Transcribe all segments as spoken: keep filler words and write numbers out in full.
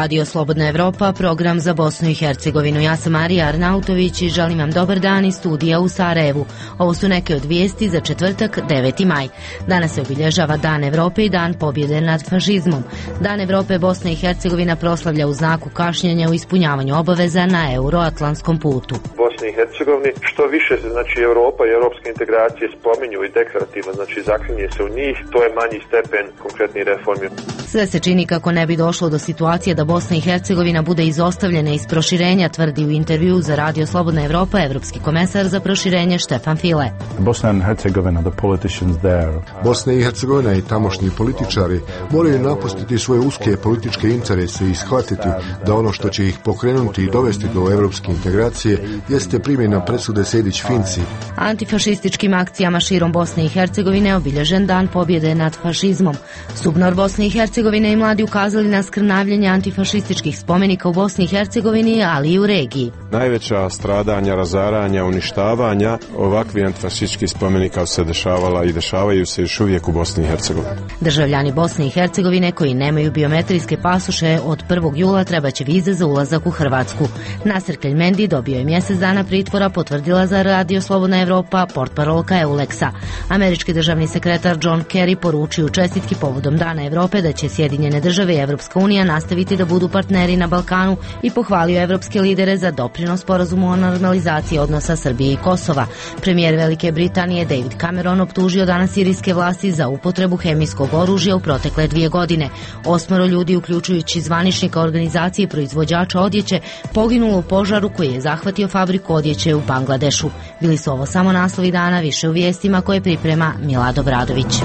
Radio Slobodna Evropa, program za Bosnu i Hercegovinu. Ja sam Marija Arnautović i želim vam dobar dan iz studija u Sarajevu. Ovo su neke od vijesti za četvrtak, deveti maj. Danas se obilježava Dan Evrope i Dan pobjede nad fašizmom. Dan Evrope Bosna i Hercegovina proslavlja u znaku kašnjenja u ispunjavanju obaveza na euroatlantskom putu. Bosni i Hercegovini što više se znači Europa i europske integracije spominju i deklarativno, znači zaklinje se u njih, to je manji stepen konkretnih reformi. Sve se čini kako ne bi došlo do situacije da Bosna i Hercegovina bude izostavljena iz proširenja, tvrdi u intervju za Radio Slobodna Evropa evropski komesar za proširenje Štefan File. Bosna i Hercegovina, the politicians there. Bosna i Hercegovina i tamošnji političari moraju napustiti svoje uske političke interese i shvatiti da ono što će ih pokrenuti i dovesti do evropske integracije jeste primjena presude Sejdić-Finci. Antifašističkim akcijama širom Bosne i Hercegovine obilježen Dan pobjede nad fašizmom. Subnor Bosne i Hercegovine i mladi ukazali na skrnavljenje antifašističkih spomenika u Bosni i Hercegovini, ali i u regiji. Najveća stradanja, razaranja, uništavanja ovakvi antifašističkih spomenika se dešavala i dešavaju se još uvijek u Bosni i Hercegovini. Državljani Bosne i Hercegovine koji nemaju biometrijske pasoše od prvog jula trebaće vize za ulazak u Hrvatsku. Nasir Keljmendi dobio je mjesec dana pritvora, potvrdila za Radio Slobodna Evropa portparolka Euleksa. Američki državni sekretar John Kerry poručio čestitki povodom Dana Evrope da će Sjedinjene države i Evropska unija nastaviti da budu partneri na Balkanu i pohvalio evropske lidere za doprinos sporazumu o normalizaciji odnosa Srbije i Kosova. Premijer Velike Britanije David Cameron optužio danas sirijske vlasti za upotrebu hemijskog oružja u protekle dvije godine. Osmoro ljudi, uključujući zvaničnika organizacije proizvođača odjeće, poginulo u požaru koji je zahvatio fabriku odjeće u Bangladešu. Bili su ovo samo naslovi dana, više u vijestima koje priprema Milado Bradović.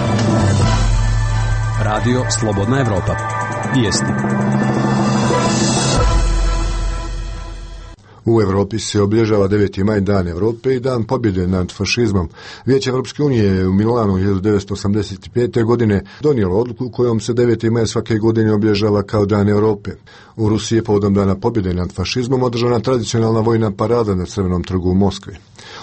Radio Slobodna Evropa. Vijesti. U Europi se obilježava deveti maj Dan Evrope i Dan pobjede nad fašizmom. Vijeće Evropske unije je u Milanu hiljadu devetsto osamdeset pete. godine donijelo odluku kojom se deveti maj svake godine obilježava kao Dan Evrope. U Rusiji je povodom Dana pobjede nad fašizmom održana tradicionalna vojna parada na Crvenom trgu u Moskvi.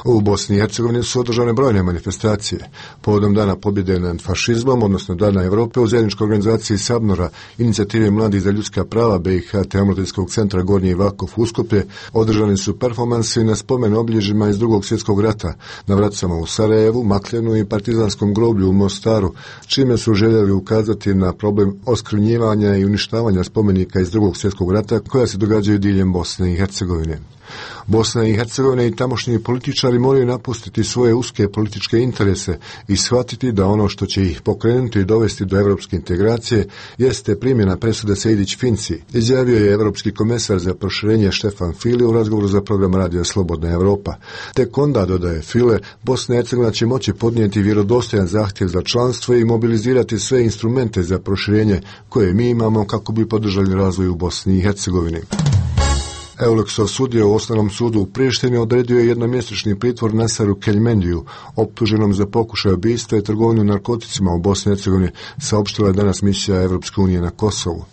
U Bosni i Hercegovini su održane brojne manifestacije. Povodom Dana pobjede nad fašizmom, odnosno Dana Evrope, u zajedničkoj organizaciji Sabnora, inicijative Mladih za ljudska prava B i H te Omladinskog centra Gornji Vakov Uskoplje, održani su performansi na spomen obilježjima iz Drugog svjetskog rata na Vracama u Sarajevu, Makljanu i Partizanskom groblju u Mostaru, čime su željeli ukazati na problem oskrnjivanja i uništavanja spomenika iz Drugog svjetskog rata koja se događaju diljem Bosne i Hercegovine. Bosna i Hercegovina i tamošnji političari moraju napustiti svoje uske političke interese i shvatiti da ono što će ih pokrenuti i dovesti do evropske integracije jeste primjena presude Sejdić-Finci, izjavio je evropski komesar za proširenje Štefan File u razgovoru za program Radio Slobodna Evropa. Tek onda, dodaje File, Bosna i Hercegovina će moći podnijeti vjerodostojan zahtjev za članstvo i mobilizirati sve instrumente za proširenje koje mi imamo kako bi podržali razvoj u Bosni i Hercegovini. Euleksov sudija u Osnovnom sudu u Prištini odredio je jednomjesečni pritvor Nasaru Keljmendiju, optuženom za pokušaj ubistva i trgovinu narkoticima u Bosni i Hercegovini, saopštila je danas misija Evropske unije na Kosovu.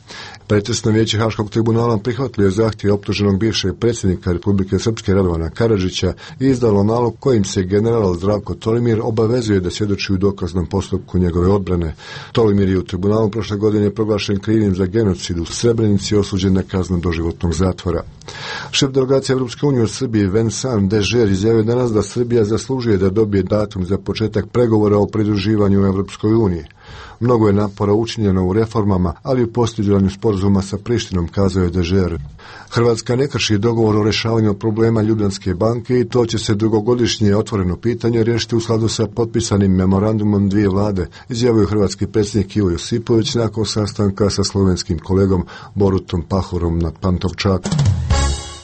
Pretresno vijeće Haškog tribunala prihvatilo je zahtjev optuženog bivšeg predsjednika Republike Srpske Radovana Karadžića i izdalo nalog kojim se general Zdravko Tolimir obavezuje da svjedoči u dokaznom postupku njegove odbrane. Tolimir je u tribunalu prošle godine proglašen krivim za genocid u Srebrenici i osuđen na kaznu doživotnog zatvora. Šef delegacije Evropske unije u Srbiji Vincent Dežer izjavio danas da Srbija zaslužuje da dobije datum za početak pregovora o pridruživanju u Evropskoj uniji. Mnogo je napora učinjeno u reformama, ali u postizanju sporazuma sa Prištinom, kazao je Dežer. Hrvatska ne krši dogovor o rješavanju problema Ljubljanske banke i to će se dugogodišnje otvoreno pitanje riješiti u skladu sa potpisanim memorandumom dvije vlade, izjavio hrvatski predsjednik Ivo Josipović nakon sastanka sa slovenskim kolegom Borutom Pahorom na Pantovčaku.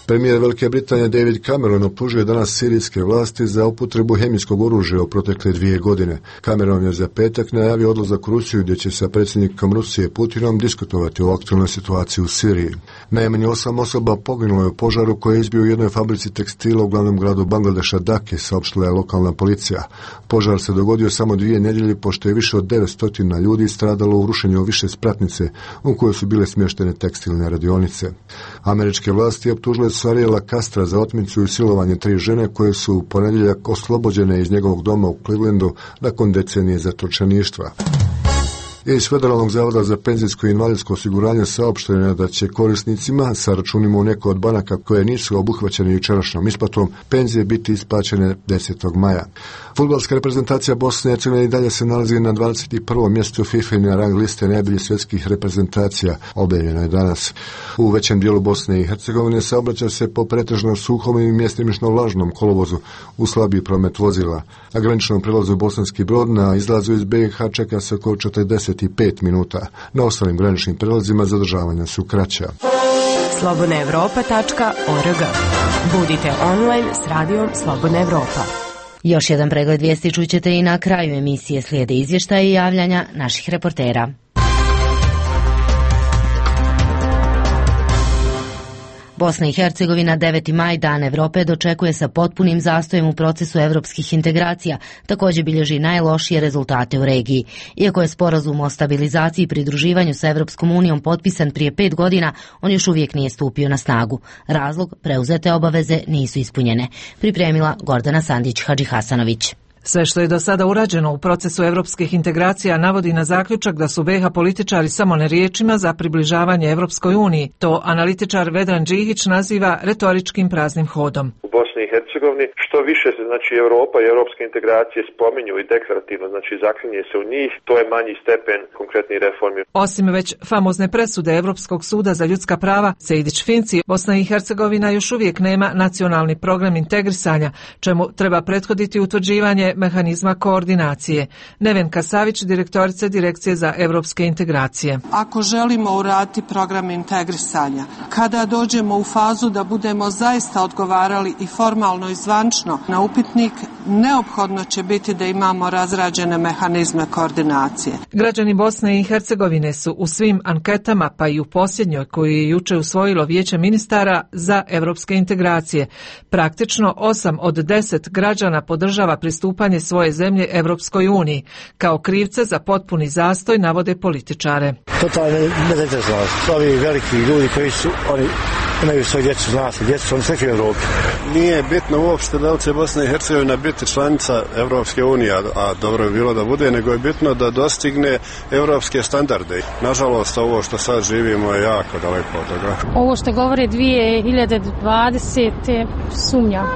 Premijer Velike Britanije David Cameron optužuje danas sirijske vlasti za upotrebu hemijskog oružja u protekle dvije godine. Cameron je za petak najavio odlazak u Rusiju gdje će sa predsjednikom Rusije Putinom diskutovati o aktualnoj situaciji u Siriji. Najmanje osam osoba poginulo je u požaru koji je izbio u jednoj fabrici tekstila u glavnom gradu Bangladeša Dake, saopštila je lokalna policija. Požar se dogodio samo dvije nedjelje pošto je više od devetsto ljudi stradalo u rušenju više spratnice u kojoj su bile smještene tekstilne radionice. Američke vlasti optužile su Ariela Castra za otmicu i silovanje tri žene koje su u ponedjeljak oslobođene iz njegovog doma u Clevelandu nakon decenije zatočeništva. Iz Federalnog zavoda za penzijsko i invalidsko osiguranje saopšteno je da će korisnicima sa računima u nekoj od banaka koje nisu obuhvaćene jučerašnjom isplatom penzije biti isplaćene desetog maja. Fudbalska reprezentacija Bosne i Hercegovine i dalje se nalazi na dvadeset prvom mjestu FIFA-ine rang liste najboljih svjetskih reprezentacija, objavljeno je danas. U većem dijelu Bosne i Hercegovine saobraća se po pretežno suhom i mjestimično vlažnom kolovozu u slabiji promet vozila. Na graničnom prelazu Bosanski Brod na izlazu iz B i H čeka se oko četrdeset pet minuta. Na ostalim graničnim prelazima zadržavanja su kraća. slobodna evropa tačka org. Budite online s radijom Slobodna Evropa. Još jedan pregled vijesti čućete i na kraju emisije, slijede izvještaje i javljanja naših reportera. Bosna i Hercegovina deveti maj, Dan Evrope, dočekuje sa potpunim zastojem u procesu evropskih integracija, također bilježi najlošije rezultate u regiji. Iako je sporazum o stabilizaciji i pridruživanju sa Evropskom unijom potpisan prije pet godina, on još uvijek nije stupio na snagu. Razlog, preuzete obaveze nisu ispunjene. Pripremila Gordana Sandić-Hadžihasanović. Sve što je do sada urađeno u procesu evropskih integracija navodi na zaključak da su B iH političari samo na riječima za približavanje Evropskoj uniji. To analitičar Vedran Džihić naziva retoričkim praznim hodom. U Bosni i Hercegovini što više se znači Europa i evropske integracije spominju i deklarativno, znači zaklinje se u njih, to je manji stepen konkretnih reformi. Osim već famozne presude Evropskog suda za ljudska prava Sejdić-Finci, Bosna i Hercegovina još uvijek nema nacionalni program integrisanja, čemu treba prethoditi utvrđivanje mehanizma koordinacije. Nevenka Savić, direktorica Direkcije za evropske integracije. Ako želimo uraditi program integrisanja, kada dođemo u fazu da budemo zaista odgovarali i formalno i zvančno na upitnik, neophodno će biti da imamo razrađene mehanizme koordinacije. Građani Bosne i Hercegovine su u svim anketama, pa i u posljednjoj koju je juče usvojilo Vijeće ministara za evropske integracije. Praktično osam od deset građana podržava pristupanje svoje zemlje Evropskoj uniji. Kao krivce za potpuni zastoj navode političare. Totalno nezainteresovanost. Ovi veliki ljudi koji su, oni imaju svoje djecu, zna se, djecu su oni sve u Evropi. Nije bitno uopšte da li će Bosna i Hercegovina biti članica Evropske unije, a dobro je bilo da bude, nego je bitno da dostigne evropske standarde. Nažalost, ovo što sad živimo je jako daleko od toga. Ovo što govore dvije hiljade dvadesete sumnjam.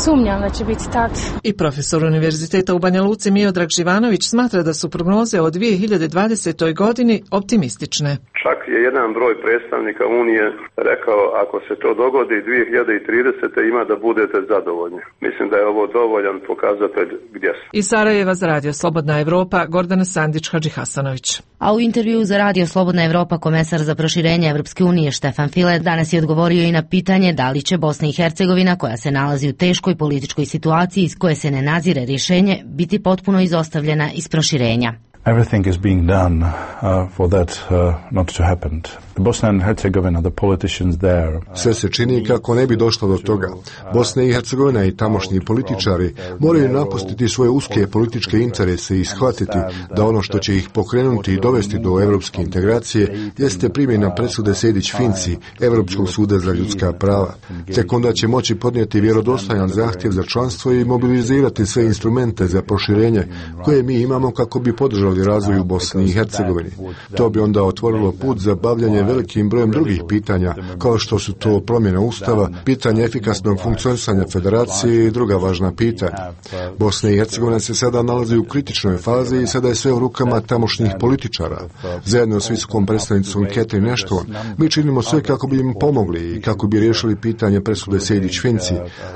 Sumnjam da će biti tad. I profesor Univerziteta u Banja Luci Miodrag Živanović smatra da su prognoze o dvije hiljade dvadesetoj godini optimistične. Čak je jedan broj predstavnika Unije rekao ako se to dogodi dvije hiljade tridesete ima da budete zadovoljni. Mislim da je ovo dovoljan pokazatelj gdje su. Iz Sarajeva za Radio Slobodna Evropa, Gordana Sandić-Hadžihasanović. A u intervjuu za Radio Slobodna Evropa komesar za proširenje Evropske unije Štefan File danas je odgovorio i na pitanje da li će Bosna i Hercegovina, koja se nalazi u teškoj političkoj situaciji iz koje se ne nazire rješenje, biti potpuno izostavljena iz proširenja. Everything is being done uh, for that uh, not to happen. The Bosnia and Herzegovina, the politicians there. Sve se čini kako ne bi došlo do toga. Bosna i Hercegovina i tamošnji političari moraju napustiti svoje uske političke interese i shvatiti da ono što će ih pokrenuti i dovesti do evropske integracije jeste primjena presude Sejdić-Finci Evropskog suda za ljudska prava. Tek onda će moći podnijeti vjerodostojan zahtjev za članstvo i mobilizirati sve instrumente za proširenje koje mi imamo kako bi podržali razvoj u Bosni i Hercegovini. To bi onda otvorilo put za bavljanje velikim brojem drugih pitanja, kao što su to promjena ustava, pitanje efikasnog funkcionisanja federacije i druga važna pitanja. Bosna i Hercegovina se sada nalazi u kritičnoj fazi i sada je sve u rukama tamošnjih političara. Zajedno s visokom predstavnicom Catherine Ashton, mi činimo sve kako bi im pomogli i kako bi riješili pitanje presude Sejdić-Finci,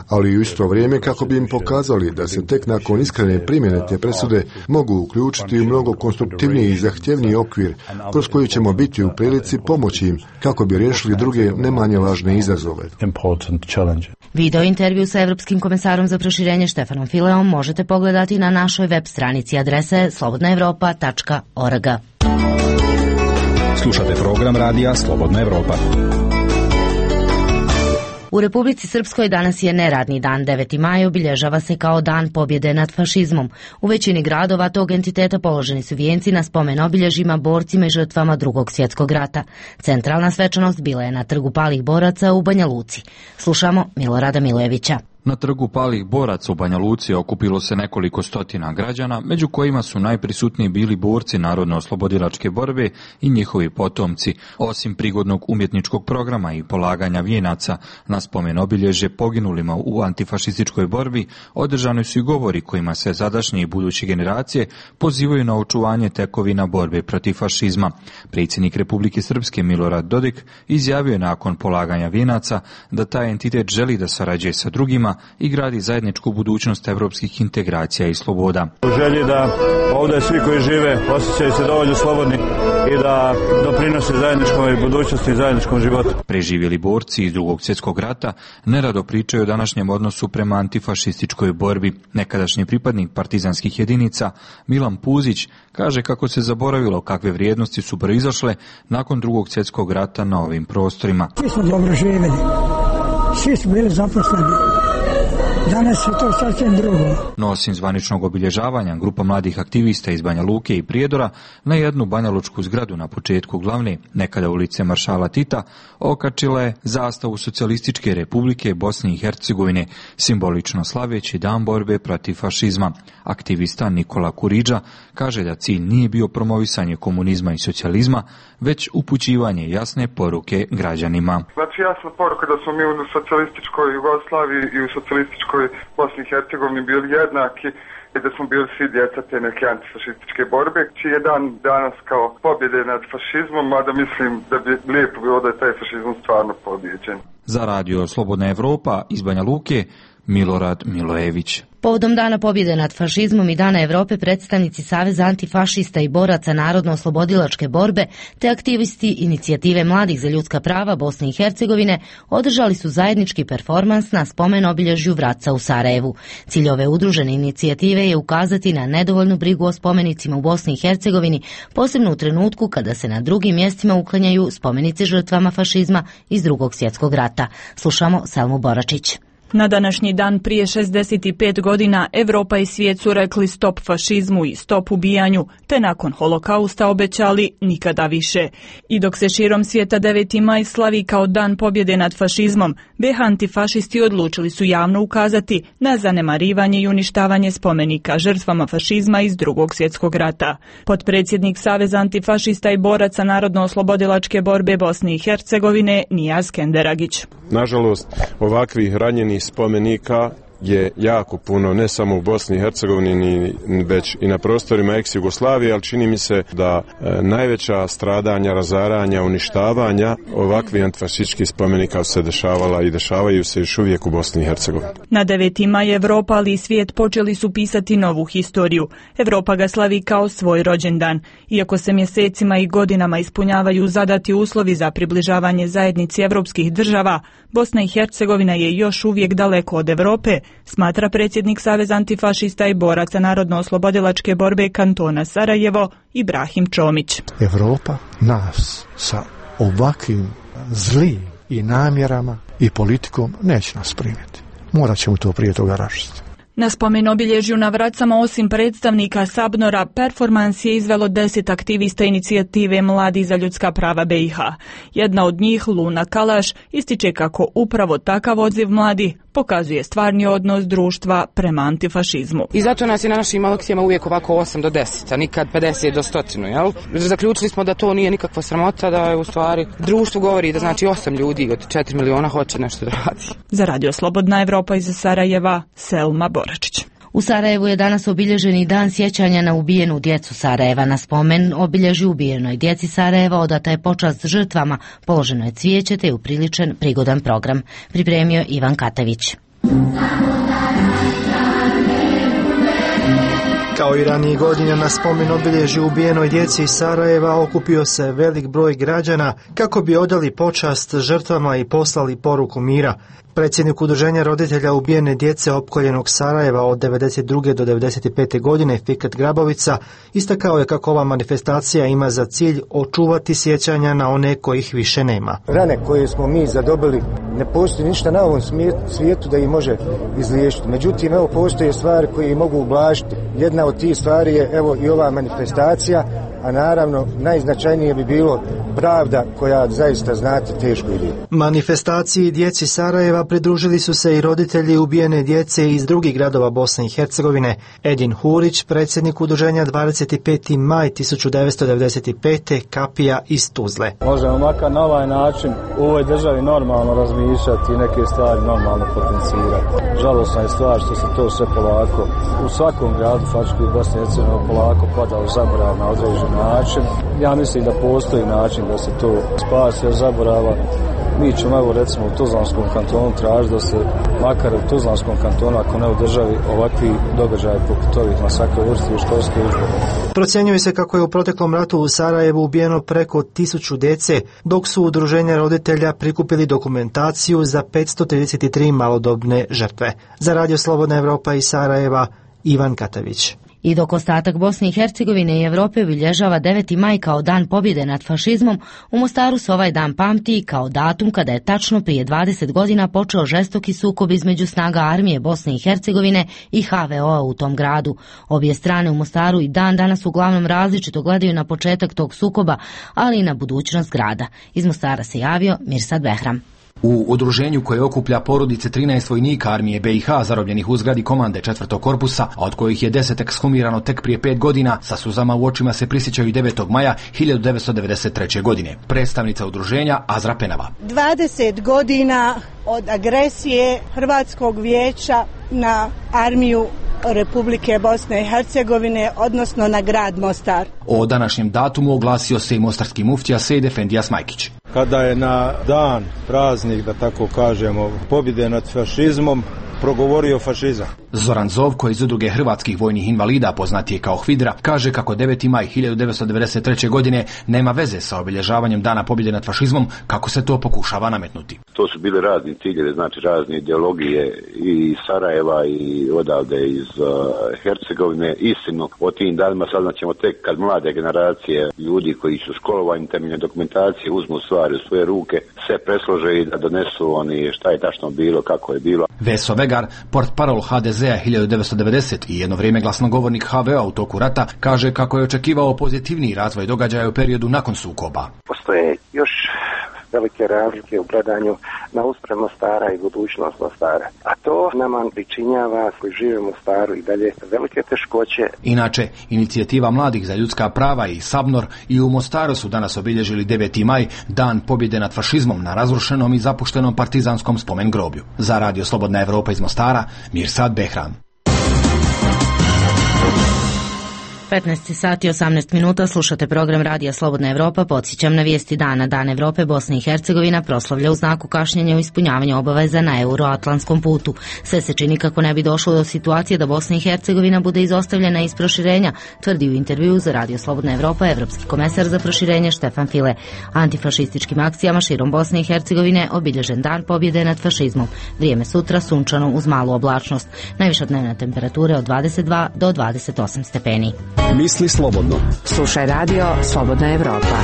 ali i u isto vrijeme kako bi im pokazali da se tek nakon iskrene primjene te presude mogu uključiti u mnogo konstruktivniji i zahtjevniji okvir kroz koji ćemo biti u prilici pomoći im kako bi riješili druge ne manje važne izazove. Video intervju sa Evropskim komesarom za proširenje Štefanom Fileom možete pogledati na našoj web stranici adrese slobodna evropa tačka org. Slušate program radija Slobodna Evropa. U Republici Srpskoj danas je neradni dan. deveti maj obilježava se kao dan pobjede nad fašizmom. U većini gradova tog entiteta položeni su vijenci na spomen obilježjima, borcima i žrtvama Drugog svjetskog rata. Centralna svečanost bila je na Trgu palih boraca u Banja Luci. Slušamo Milorada Milojevića. Na trgu palih boraca u Banja Luci okupilo se nekoliko stotina građana, među kojima su najprisutniji bili borci Narodno-oslobodilačke borbe i njihovi potomci. Osim prigodnog umjetničkog programa i polaganja vijenaca na spomen obilježje poginulima u antifašističkoj borbi, održani su i govori kojima se sadašnje i buduće generacije pozivaju na očuvanje tekovina borbe protiv fašizma. Predsjednik Republike Srpske Milorad Dodik izjavio je nakon polaganja vijenaca da taj entitet želi da sarađuje sa drugima i gradi zajedničku budućnost evropskih integracija i sloboda. U želji da ovdje svi koji žive osjećaju se dovoljno slobodni i da doprinose zajedničkoj budućnosti i zajedničkom životu. Preživjeli borci iz Drugog svjetskog rata nerado pričaju o današnjem odnosu prema antifašističkoj borbi. Nekadašnji pripadnik partizanskih jedinica Milan Puzić kaže kako se zaboravilo kakve vrijednosti su proizašle nakon Drugog svjetskog rata na ovim prostorima. Svi smo dobro živjeli, svi su bili zaposleni. Danas je to sasvim drugo. No osim zvaničnog obilježavanja, grupa mladih aktivista iz Banja Luke i Prijedora na jednu banjalučku zgradu na početku glavne, nekada ulice Maršala Tita, okačila je zastavu Socijalističke Republike Bosne i Hercegovine, simbolično slaveći dan borbe protiv fašizma. Aktivista Nikola Kuriđa kaže da cilj nije bio promovisanje komunizma i socijalizma, već upućivanje jasne poruke građanima. Znači jasna poruka da smo mi u socijalističkoj Jugoslaviji i u socijalističkoj Bosni i Hercegovini bili jednaki i da smo bili svi djeca te neke antifašističke borbe, čiji je dan danas kao pobjede nad fašizmom, mada mislim da bi lijepo bilo da je taj fašizam stvarno pobjeđen. Za radio Slobodna Evropa iz Banja Luke, Milorad Milojević. Povodom Dana pobjede nad fašizmom i Dana Evrope, predstavnici Saveza antifašista i boraca Narodno-oslobodilačke borbe te aktivisti Inicijative mladih za ljudska prava Bosne i Hercegovine održali su zajednički performans na spomen obilježju Vraca u Sarajevu. Cilj ove udružene inicijative je ukazati na nedovoljnu brigu o spomenicima u Bosni i Hercegovini, posebno u trenutku kada se na drugim mjestima uklanjaju spomenici žrtvama fašizma iz Drugog svjetskog rata. Slušamo Selmu Boračić. Na današnji dan prije šezdeset pet godina Evropa i svijet su rekli stop fašizmu i stop ubijanju, te nakon holokausta obećali nikada više. I dok se širom svijeta deveti maj slavi kao dan pobjede nad fašizmom, B iH antifašisti odlučili su javno ukazati na zanemarivanje i uništavanje spomenika žrtvama fašizma iz Drugog svjetskog rata. Potpredsjednik Saveza antifašista i boraca Narodno-oslobodilačke borbe Bosne i Hercegovine Nijaz Kenderagić. Nažalost, ovakvih ranjenih spomenika je jako puno, ne samo u Bosni i Hercegovini, već i na prostorima ex-Jugoslavije, ali čini mi se da e, najveća stradanja, razaranja, uništavanja ovakvih antifašističkih spomenika se dešavala i dešavaju se još uvijek u Bosni i Hercegovini. Na deveti maj Evropa, ali i svijet počeli su pisati novu historiju. Evropa ga slavi kao svoj rođendan. Iako se mjesecima i godinama ispunjavaju zadati uslovi za približavanje zajednici evropskih država, Bosna i Hercegovina je još uvijek daleko od Evrope, smatra predsjednik Saveza antifašista i boraca Narodno-oslobodilačke borbe kantona Sarajevo Ibrahim Čomić. Evropa nas sa ovakvim zlim i namjerama i politikom neće nas primiti. Morat ćemo to prije toga rašiti. Na spomen obilježju na Vracama osim predstavnika Sabnora, performans je izvelo deset aktivista Inicijative mladi za ljudska prava B iH. Jedna od njih, Luna Kalaš, ističe kako upravo takav odziv mladi pokazuje stvarni odnos društva prema antifašizmu. I zato nas je na našim akcijama uvijek ovako osam do deset, a nikad pedeset do sto, jel? Zaključili smo da to nije nikakva sramota, da je u stvari društvo govori da znači osam ljudi od četiri miliona hoće nešto da radi. Za radio Slobodna Evropa iz Sarajeva, Selma Boračić. U Sarajevu je danas obilježeni dan sjećanja na ubijenu djecu Sarajeva. Na spomen obilježi ubijenoj djeci Sarajeva odata je počast žrtvama, položeno je cvijeće te je upriličen prigodan program. Pripremio Ivan Katević. Kao i ranijih godina na spomen obilježju ubijenoj djeci iz Sarajeva okupio se velik broj građana kako bi odali počast žrtvama i poslali poruku mira. Predsjednik udruženja roditelja ubijene djece opkoljenog Sarajeva od devedeset druge do devedeset pete godine Fikret Grabovica istakao je kako ova manifestacija ima za cilj očuvati sjećanja na one kojih više nema. Rane koje smo mi zadobili, ne postoji ništa na ovom svijetu da ih može izliječiti. Međutim, evo postoje stvari koje ih mogu ublažiti. Jedna od tih stvari je evo i ova manifestacija, a naravno najznačajnije bi bilo pravda koja zaista znate teško ide. Manifestaciji djeci Sarajeva pridružili su se i roditelji ubijene djece iz drugih gradova Bosne i Hercegovine. Edin Hurić, predsjednik udruženja dvadeset peti maj tisuću devetsto devedeset pete Kapija iz Tuzle. Možemo makar na ovaj način u ovoj državi normalno razmišljati i neke stvari normalno potencirati. Žalosna je stvar što se to sve polako u svakom gradu faktički u Bosni i Hercegovini polako pada u zaborav na određen način. Ja mislim da postoji način da se to spasi od zaborava. Mi ćemo evo recimo u Tuzlanskom kantonu tražiti da se makar u Tuzlanskom kantonu, ako ne u državi, ovakvi događaji poput ovih na svakoj vrsti u školskoj udžbenike. Procjenjuje se kako je u proteklom ratu u Sarajevu ubijeno preko tisuću djece, dok su udruženja roditelja prikupili dokumentaciju za petsto trideset tri malodobne žrtve. Za Radio Slobodna Evropa iz Sarajeva, Ivan Katavić. I dok ostatak Bosne i Hercegovine i Evrope obilježava deveti maj kao dan pobjede nad fašizmom, u Mostaru se ovaj dan pamti kao datum kada je tačno prije dvadeset godina počeo žestoki sukob između snaga armije Bosne i Hercegovine i ha ve o-a u tom gradu. Obje strane u Mostaru i dan danas uglavnom različito gledaju na početak tog sukoba, ali i na budućnost grada. Iz Mostara se javio Mirsad Behram. U udruženju koje okuplja porodice trinaest vojnika armije be i ha zarobljenih u zgradi komande četvrtog korpusa, a od kojih je deset ekshumirano tek prije pet godina, sa suzama u očima se prisjećaju devetog maja hiljadu devetsto devedeset treće. godine. Predstavnica udruženja Azra Penava. dvadeset godina od agresije Hrvatskog vijeća na armiju Republike Bosne i Hercegovine, odnosno na grad Mostar. O današnjem datumu oglasio se i mostarski muftija Sejid Efendija Smajkić. Kada je na dan, praznik, da tako kažemo, pobjede nad fašizmom, progovorio fašizam. Zoran Zovko iz udruge hrvatskih vojnih invalida, poznatije kao Hvidra, kaže kako deveti maj hiljadu devetsto devedeset treće. godine nema veze sa obilježavanjem dana pobjede nad fašizmom, kako se to pokušava nametnuti. To su bile razni ciljevi, znači razne ideologije i iz Sarajeva i odavde iz uh, Hercegovine. Istinu o tim danima saznaćemo tek kad mlade generacije ljudi koji su školovani temeljem dokumentacije uzmu stvari u svoje ruke, sve preslože i da donesu oni šta je tačno bilo, kako je bilo. Veso Vegar, portparol ha de ze a hiljadu devetsto devedeset i jedno vrijeme glasnogovornik ha ve o-a u toku rata, kaže kako je očekivao pozitivniji razvoj događaja u periodu nakon sukoba. Postoje još velike razlike u gledanju na uspred Mostara i budućnost Mostara. A to nama pričinjava koji žive u Mostaru i dalje velike teškoće. Inače, inicijativa mladih za ljudska prava i Sabnor i u Mostaru su danas obilježili deveti maj, dan pobjede nad fašizmom na razrušenom i zapuštenom partizanskom spomen groblju. Za Radio Slobodna Evropa iz Mostara, Mirsad Behram. petnaest sati i osamnaest minuta, slušate program Radija Slobodna Evropa. Podsjećam na vijesti dana. Dan Evrope Bosne i Hercegovina proslavlja u znaku kašnjenja u izpunjavanju obaveza na euroatlantskom putu. Sve se čini kako ne bi došlo do situacije da Bosna i Hercegovina bude izostavljena iz proširenja, tvrdi u intervjuu za Radio Slobodna Evropa evropski komesar za proširenje Štefan File. Antifašističkim akcijama širom Bosne i Hercegovine obilježen dan pobjede nad fašizmom. Vrijeme sutra sunčano uz malu oblačnost. Najviša dnevna temperatura od dvadeset dva do dvadeset osam stepeni. Misli slobodno. Slušaj Radio Slobodna Evropa.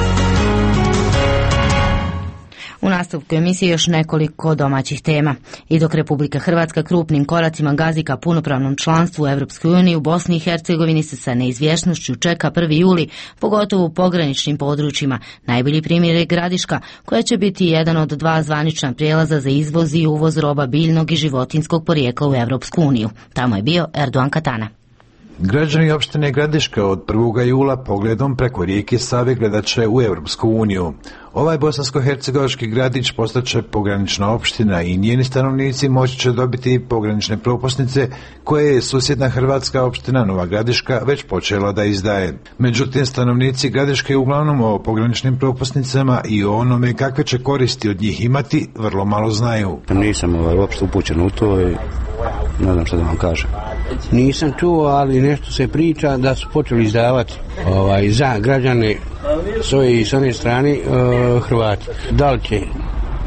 U nastavku emisije još nekoliko domaćih tema. I dok Republika Hrvatska krupnim koracima gazi ka punopravnom članstvu u Evropskoj uniji, u Bosni i Hercegovini se sa neizvjesnošću čeka prvi juli, pogotovo u pograničnim područjima. Najbolji primjer je Gradiška, koja će biti jedan od dva zvanična prijelaza za izvoz i uvoz roba biljnog i životinskog porijekla u Evropsku uniju. Tamo je bio Erdogan Katana. Građani opštine Gradiška od prvog jula pogledom preko rijeke Save gledat će u Europsku uniju. Ovaj bosansko-hercegovački gradić postaće pogranična opština i njeni stanovnici moći će dobiti pogranične propusnice koje je susjedna hrvatska opština Nova Gradiška već počela da izdaje. Međutim, stanovnici Gradiške uglavnom o pograničnim propusnicama i o onome kakve će koristi od njih imati vrlo malo znaju. Nisam ovaj, uopšte upućen u to i ne znam što da vam kažem. Nisam čuo, ali nešto se priča da su počeli izdavati ovaj, za građane svoje i s one strane uh, Hrvati. Da li će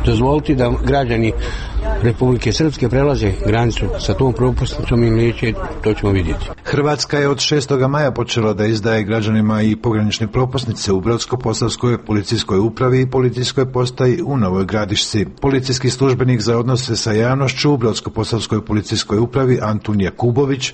dozvoliti da građani Republike Srpske prelaze granicu sa tom propusnicom ili neće, to ćemo vidjeti. Hrvatska je od šestog maja počela da izdaje građanima i pogranične propusnice u Brodsko-posavskoj policijskoj upravi i policijskoj postaji u Novoj Gradišci. Policijski službenik za odnose sa javnošću u Brodsko-posavskoj policijskoj upravi Antun Jakubović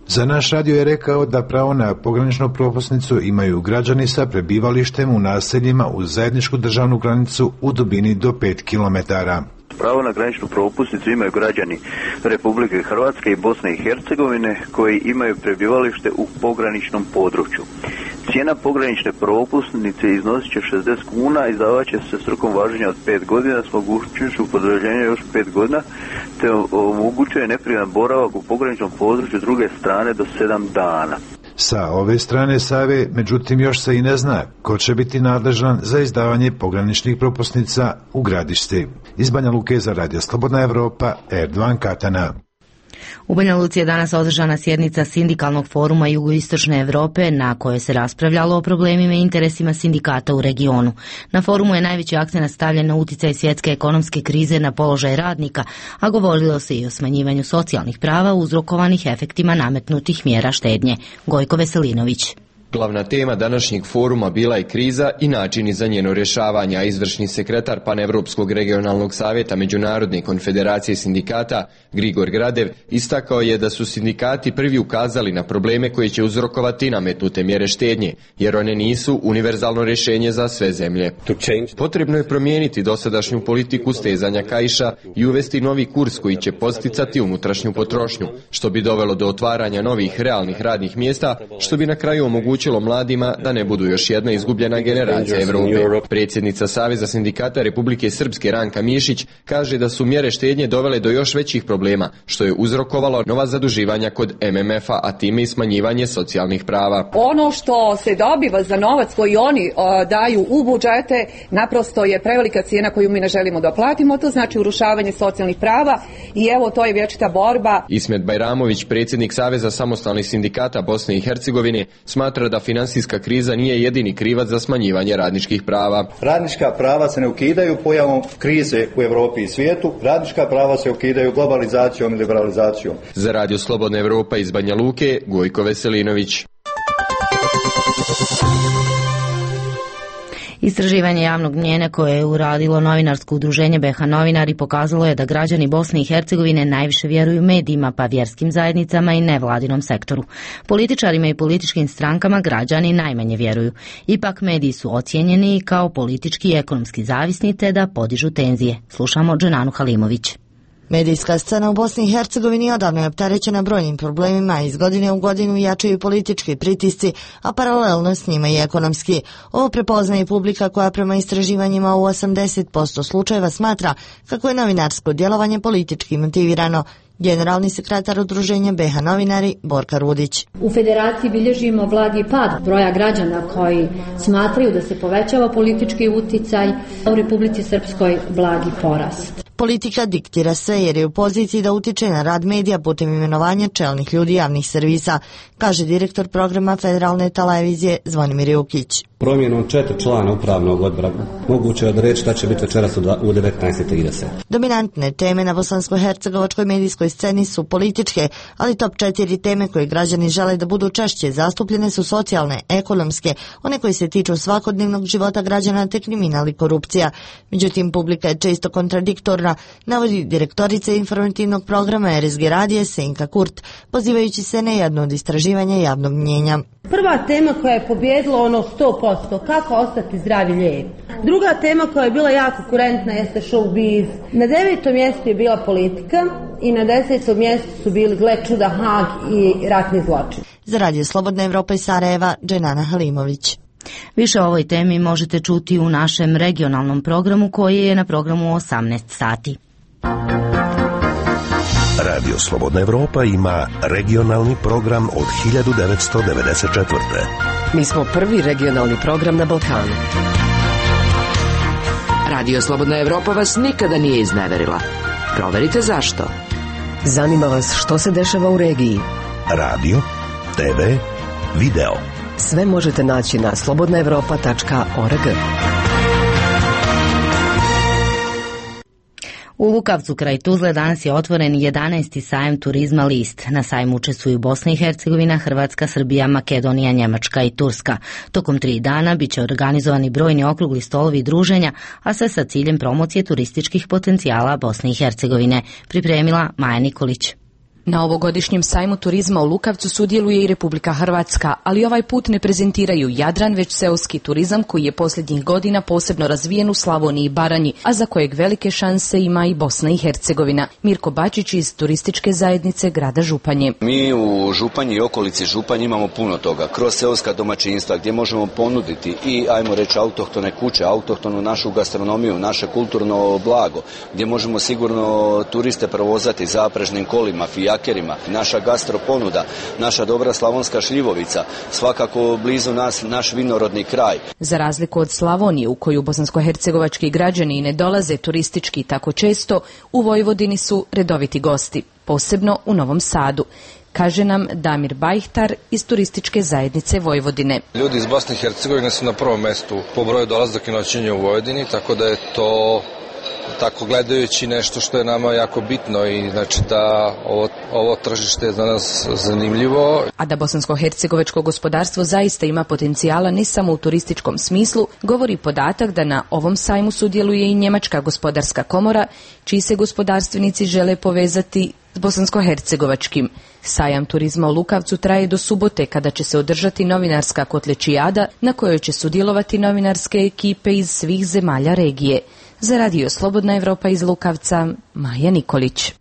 Za naš radio je rekao da pravo na pograničnu propusnicu imaju građani sa prebivalištem u naseljima uz zajedničku državnu granicu u dubini do pet kilometara. Pravo na graničnu propusnicu imaju građani Republike Hrvatske i Bosne i Hercegovine koji imaju prebivalište u pograničnom području. Cijena pogranične propusnice iznosit će šezdeset kuna, izdavat će se s rokom važenja od pet godina s mogućnošću produljenja još pet godina, te omogućuje neprivan boravak u pograničnom području druge strane do sedam dana. Sa ove strane Save, međutim, još se i ne zna ko će biti nadležan za izdavanje pograničnih propusnica u Gradišti. Iz Banja Luke za Radio Slobodna Evropa, Erdovan Katana. U Banja Luci je danas održana sjednica Sindikalnog foruma Jugoistočne Evrope na kojoj se raspravljalo o problemima i interesima sindikata u regionu. Na forumu je najveći akcent stavljen na uticaj svjetske ekonomske krize na položaj radnika, a govorilo se i o smanjivanju socijalnih prava uzrokovanih efektima nametnutih mjera štednje. Gojko Veselinović. Glavna tema današnjeg foruma bila je kriza i načini za njeno rješavanje, a izvršni sekretar Panevropskog regionalnog savjeta Međunarodne konfederacije sindikata Grigor Gradev istakao je da su sindikati prvi ukazali na probleme koje će uzrokovati nametnute mjere štednje, jer one nisu univerzalno rješenje za sve zemlje. Potrebno je promijeniti dosadašnju politiku stezanja kaiša i uvesti novi kurs koji će posticati unutrašnju potrošnju, što bi dovelo do otvaranja novih realnih radnih mjesta, što bi na kraju omogućilo mladima da ne budu još jedna izgubljena generacija Evrope. Predsjednica Saveza sindikata Republike Srpske Ranka Mišić kaže da su mjere štednje dovele do još većih problema, što je uzrokovalo nova zaduživanja kod M M F-a, a time i smanjivanje socijalnih prava. Ono što se dobiva za novac koji oni o, daju u budžete, naprosto je prevelika cijena koju mi ne želimo da platimo, to znači urušavanje socijalnih prava i evo to je vječita borba. Ismet Bajramović, predsjednik Saveza samostalnih sindikata Bosne i Hercegovine, smatra da finansijska kriza nije jedini krivac za smanjivanje radničkih prava. Radnička prava se ne ukidaju pojavom krize u Europi i svijetu, radnička prava se ukidaju globalizacijom i liberalizacijom. Za Radio Slobodna Evropa iz Banja Luke, Gojko Veselinović. Istraživanje javnog mnjenja koje je uradilo novinarsko udruženje B H Novinari pokazalo je da građani Bosne i Hercegovine najviše vjeruju medijima, pa vjerskim zajednicama i nevladinom sektoru. Političarima i političkim strankama građani najmanje vjeruju. Ipak mediji su ocijenjeni kao politički i ekonomski zavisni te da podižu tenzije. Slušamo Dženanu Halimović. Medijska scena u Bosni i Hercegovini odavno je opterećena brojnim problemima, iz godine u godinu jačaju politički pritisci, a paralelno s njima i ekonomski. Ovo prepoznaje publika koja prema istraživanjima u osamdeset posto slučajeva smatra kako je novinarsko djelovanje politički motivirano. Generalni sekretar udruženja B H Novinari Borka Rudić. U federaciji bilježimo blagi pad broja građana koji smatraju da se povećava politički uticaj, a u Republici Srpskoj blagi porast. Politika diktira sve jer je u poziciji da utiče na rad medija putem imenovanja čelnih ljudi javnih servisa, kaže direktor programa Federalne televizije Zvonimir Jukić. Promjenom četiri člana upravnog odbora moguće je odreći šta će biti večeras u devetnaest trideset. Dominantne teme na bosansko-hercegovačkoj medijskoj sceni su političke, ali top četiri teme koje građani žele da budu češće zastupljene su socijalne, ekonomske, one koje se tiču svakodnevnog života građana te kriminal i korupcija. Međutim, publika je često kontradiktorna, navodi direktorica informativnog programa R S G radije Senka Kurt, pozivajući se na jedno od istraživanja javnog mnjenja. Prva tema koja je pobjedila ono sto posto, kako ostati zdrav i lijep. Druga tema koja je bila jako kurentna jeste showbiz. Na devetom mjestu je bila politika i na desetom mjestu su bili, gle čuda, Hag i ratni zločin. Za Radio Slobodna Evropa iz Sarajeva, Dženana Halimović. Više o ovoj temi možete čuti u našem regionalnom programu koji je na programu osamnaest sati. Radio Slobodna Evropa ima regionalni program od hiljadu devetsto devedeset četvrte. Mi smo prvi regionalni program na Balkanu. Radio Slobodna Evropa vas nikada nije izneverila. Proverite zašto. Zanima vas što se dešava u regiji. Radio, te ve, video. Sve možete naći na slobodna evropa tačka org. U Lukavcu kraj Tuzle danas je otvoren jedanaesti sajam turizma List. Na sajmu učestvuju Bosna i Hercegovina, Hrvatska, Srbija, Makedonija, Njemačka i Turska. Tokom tri dana biće organizovani brojni okrugli stolovi i druženja, a sve sa ciljem promocije turističkih potencijala Bosne i Hercegovine. Pripremila Maja Nikolić. Na ovogodišnjem sajmu turizma u Lukavcu sudjeluje i Republika Hrvatska, ali ovaj put ne prezentiraju Jadran, već seoski turizam koji je posljednjih godina posebno razvijen u Slavoniji i Baranji, a za kojeg velike šanse ima i Bosna i Hercegovina. Mirko Bačić iz turističke zajednice grada Županje. Mi u Županji i okolici Županje imamo puno toga, kroz seoska domaćinstva gdje možemo ponuditi i, ajmo reći, autohtone kuće, autohtonu našu gastronomiju, naše kulturno blago, gdje možemo sigurno turiste provozati zaprežnim kolima, fijakerima, naša gastro ponuda, naša dobra slavonska šljivovica, svakako blizu nas naš vinorodni kraj. Za razliku od Slavonije, u koju bosansko-hercegovački građani ne dolaze turistički tako često, u Vojvodini su redoviti gosti, posebno u Novom Sadu, kaže nam Damir Bajhtar iz turističke zajednice Vojvodine. Ljudi iz Bosne i Hercegovine su na prvom mjestu po broju dolazaka i noćenja u Vojvodini, tako da je to tako gledajući nešto što je nama jako bitno i znači da ovo, ovo tržište je za nas zanimljivo. A da bosansko-hercegovačko gospodarstvo zaista ima potencijala ne samo u turističkom smislu, govori podatak da na ovom sajmu sudjeluje i Njemačka gospodarska komora, čiji se gospodarstvenici žele povezati s bosansko-hercegovačkim. Sajam turizma u Lukavcu traje do subote, kada će se održati novinarska kotlečijada na kojoj će sudjelovati novinarske ekipe iz svih zemalja regije. Za Radio Slobodna Evropa iz Lukavca, Maja Nikolić.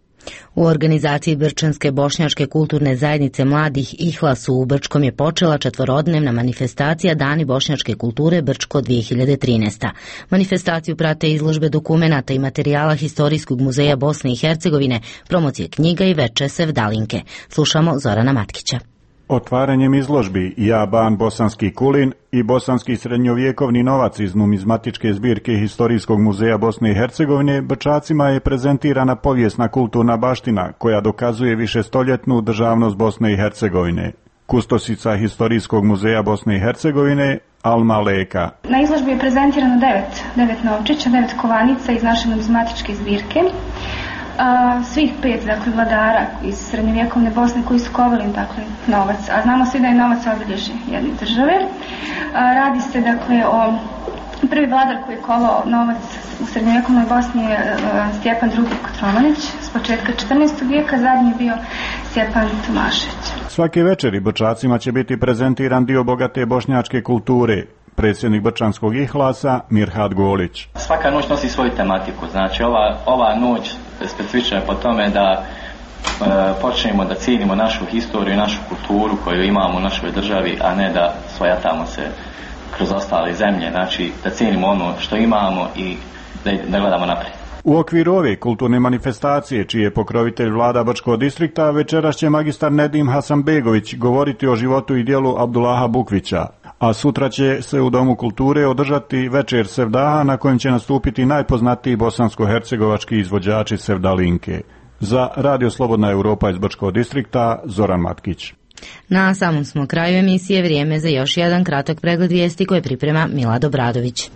U organizaciji Brčanske bošnjačke kulturne zajednice mladih Ihlas u Brčkom je počela četvorodnevna manifestacija Dani bošnjačke kulture Brčko dvije hiljade trinaeste. Manifestaciju prate izložbe dokumenata i materijala Historijskog muzeja Bosne i Hercegovine, promocije knjiga i veče sevdalinke. Slušamo Zorana Matkića. Otvaranjem izložbi Ja ban bosanski kulin i bosanski srednjovjekovni novac iz numizmatičke zbirke Historijskog muzeja Bosne i Hercegovine, Brčacima je prezentirana povijesna kulturna baština koja dokazuje višestoljetnu državnost Bosne i Hercegovine. Kustosica Historijskog muzeja Bosne i Hercegovine Alma Leka. Na izložbi je prezentirano devet, devet novčića, devet kovanica iz naše numizmatičke zbirke. A, svih pet, dakle, vladara iz srednjovjekovne Bosne koji su kovali, dakle, novac, a znamo svi da je novac obilježje jedne države. A, radi se, dakle, o prvi vladar koji je kovao novac u srednjovjekovnoj Bosni je a, Stjepan drugi Kotromanić s početka četrnaestog vijeka, zadnji je bio Stjepan Tomašević. Svake večeri Brčacima će biti prezentiran dio bogate bošnjačke kulture. Predsjednik Brčanskog Ihlasa Mirhat Golić. Svaka noć nosi svoju tematiku, znači ova, ova noć specifična je po tome da e, počnemo da cijenimo našu historiju i našu kulturu koju imamo u našoj državi, a ne da svojatamo se kroz ostale zemlje, znači da cijenimo ono što imamo i da, da gledamo naprijed. U okviru ove kulturne manifestacije, čiji je pokrovitelj vlada Brčkog distrikta, večeras će magistar Nedim Hasanbegović govoriti o životu i djelu Abdullaha Bukvića, a sutra će se u Domu kulture održati večer sevdaha na kojem će nastupiti najpoznatiji bosansko-hercegovački izvođači sevdalinke. Za Radio Slobodna Evropa iz Brčkog distrikta, Zoran Matkić. Na samom smo kraju emisije, vrijeme za još jedan kratak pregled vijesti koje priprema Milad Obradović.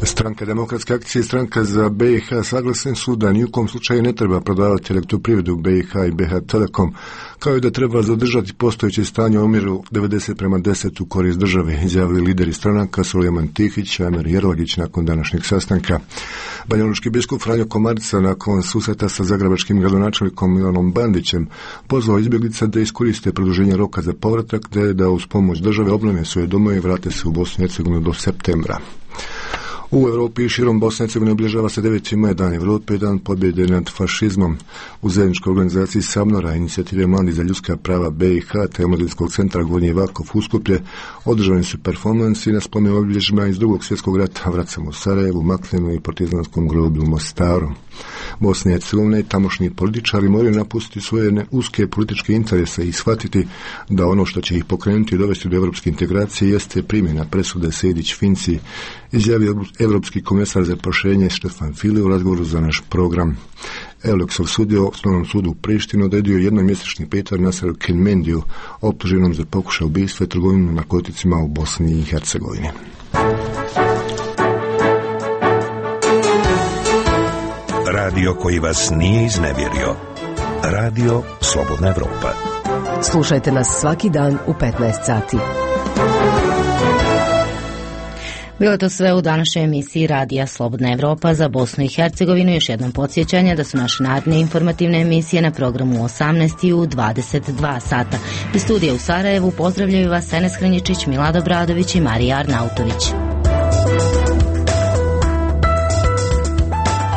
Stranka Demokratske akcije i Stranka za B i H saglasni su da nijukom slučaju ne treba prodavati elektroprivredu B i H i B H Telekom, kao i da treba zadržati postojeće stanje u omjeru devedeset prema deset u korist države, izjavili lideri stranaka Sulejman Tihić i Amer Jerlagić nakon današnjeg sastanka. Banjalučki biskup Franjo Komarica nakon susreta sa zagrebačkim gradonačelnikom Milanom Bandićem pozvao izbjeglice da iskoriste produženje roka za povratak, te da uz pomoć države obnove svoje domove i vrate se u Bosnu i Hercegovinu do septembra. U Europi i širom Bosne i Hercegovine obilježava se deveti maj, Dan Evrope, dan pobjede nad fašizmom. U zajedničkoj organizaciji Samnora, inicijative Mladi za ljudska prava B i H te Omladinskog centra Gornji Vakov u Skuplje održani su performansi na spomen obilježjima iz drugog svjetskog rata, vracamo u Sarajevu, Maklinu i partizanskom groblju u Mostaru. Bosne i Hercegovine i tamošnji političari moraju napustiti svoje uske političke interese i shvatiti da ono što će ih pokrenuti i dovesti do evropske integracije jeste primjena presude Sejdić-Finci, izjavio Evropski komesar za proširenje Štefan File u razgovoru za naš program. Euleksov sudio u Osnovnom sudu u Prištini odredio jednomjesečni pritvor Naseru Kelmendiju, optuženom za pokušaj ubistva i trgovinu narkoticima u Bosni i Hercegovini. Radio koji vas nije iznevjerio. Radio Slobodna Evropa. Slušajte nas svaki dan u petnaest sati. Bilo to sve u današnjoj emisiji Radija Slobodna Evropa za Bosnu i Hercegovinu. Još jednom podsjećanje da su naše naredne informativne emisije na programu u osamnaest i u dvadeset dva sata. Iz studija u Sarajevu pozdravljaju vas Enes Hranjičić, Milada Bradović i Marija Arnautović.